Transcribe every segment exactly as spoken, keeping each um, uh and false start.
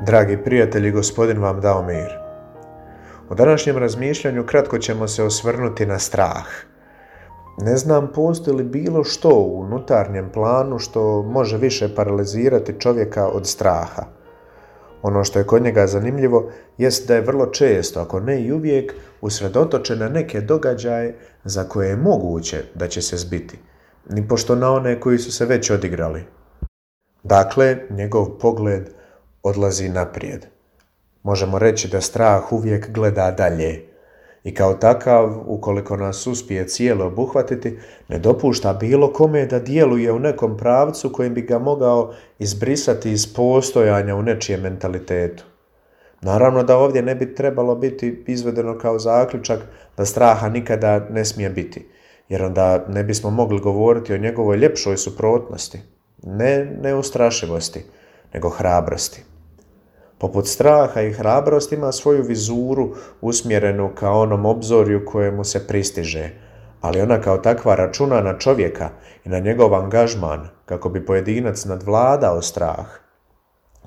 Dragi prijatelji, Gospodin vam dao mir. U današnjem razmišljanju kratko ćemo se osvrnuti na strah. Ne znam postoji li bilo što u unutarnjem planu što može više paralizirati čovjeka od straha. Ono što je kod njega zanimljivo jest da je vrlo često, ako ne i uvijek, usredotočen na neke događaje za koje je moguće da će se zbiti, nipošto na one koji su se već odigrali. Dakle, njegov pogled odlazi naprijed. Možemo reći da strah uvijek gleda dalje i kao takav, ukoliko nas uspije cijelo obuhvatiti, ne dopušta bilo kome da djeluje u nekom pravcu kojim bi ga mogao izbrisati iz postojanja u nečijem mentalitetu. Naravno da ovdje ne bi trebalo biti izvedeno kao zaključak da straha nikada ne smije biti, jer onda ne bismo mogli govoriti o njegovoj ljepšoj suprotnosti, ne neustrašivosti, nego hrabrosti. Poput straha i hrabrost ima svoju vizuru usmjerenu ka onom obzorju kojemu se pristiže, ali ona kao takva računa na čovjeka i na njegov angažman kako bi pojedinac nadvladao strah.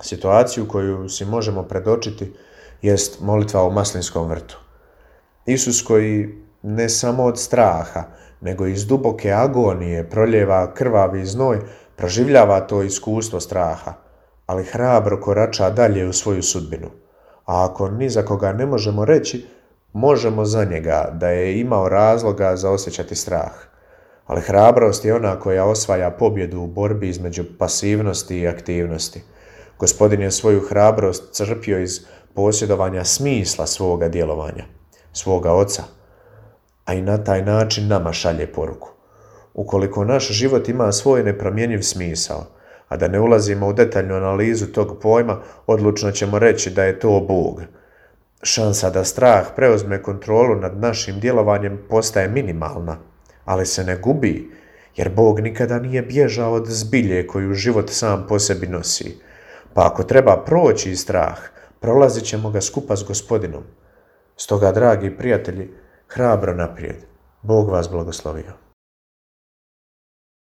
Situaciju koju si možemo predočiti jest molitva u Maslinskom vrtu. Isus koji ne samo od straha, nego iz duboke agonije proljeva krvavi znoj, proživljava to iskustvo straha, ali hrabro korača dalje u svoju sudbinu. A ako ni za koga ne možemo reći, možemo za njega da je imao razloga za osjećati strah. Ali hrabrost je ona koja osvaja pobjedu u borbi između pasivnosti i aktivnosti. Gospodin je svoju hrabrost crpio iz posjedovanja smisla svoga djelovanja, svoga Oca, a i na taj način nama šalje poruku. Ukoliko naš život ima svoj nepromjenjiv smisao, a da ne ulazimo u detaljnu analizu tog pojma, odlučno ćemo reći da je to Bog. Šansa da strah preuzme kontrolu nad našim djelovanjem postaje minimalna, ali se ne gubi, jer Bog nikada nije bježao od zbilje koju život sam po sebi nosi. Pa ako treba proći strah, prolazit ćemo ga skupa s Gospodinom. Stoga, dragi prijatelji, hrabro naprijed. Bog vas blagoslovio.